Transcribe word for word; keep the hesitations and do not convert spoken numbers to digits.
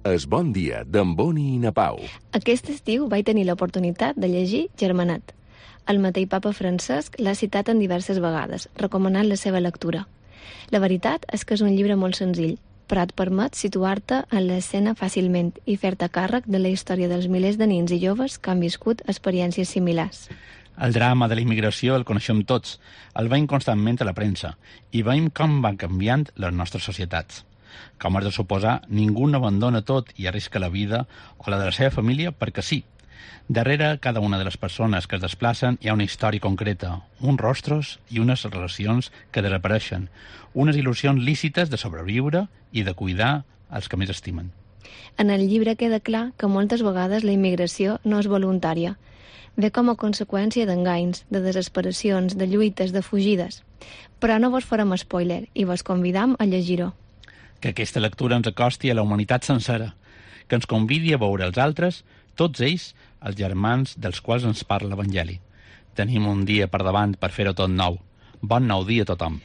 Es Bon Dia, d'en Boni i na Pau. Aquest estiu vaig tenir l'oportunitat de llegir Germanat. El mateix papa Francesc l'ha citat en diverses vegades, recomanant la seva lectura. La veritat és que és un llibre molt senzill, però et permet situar-te en l'escena fàcilment i fer-te càrrec de la història dels milers de nins i joves que han viscut experiències similars. El drama de la immigració el coneixem tots, el veiem constantment a la premsa i veiem com van canviant les nostres societats. Com has de suposar, ningú no abandona tot i arrisca la vida o la de la seva família perquè sí. Darrere cada una de les persones que es desplacen hi ha una història concreta, uns rostros i unes relacions que desapareixen, unes il·lusions lícites de sobreviure i de cuidar els que més estimen. En el llibre queda clar que moltes vegades la immigració no és voluntària. Ve com a conseqüència d'enganys, de desesperacions, de lluites, de fugides. Però no vos farem spoiler i vos convidam a llegir-ho. Que aquesta lectura ens acosti a la humanitat sencera, que ens convidi a veure els altres, tots ells, els germans dels quals ens parla l'Evangeli. Tenim un dia per davant per fer-ho tot nou. Bon nou dia a tothom.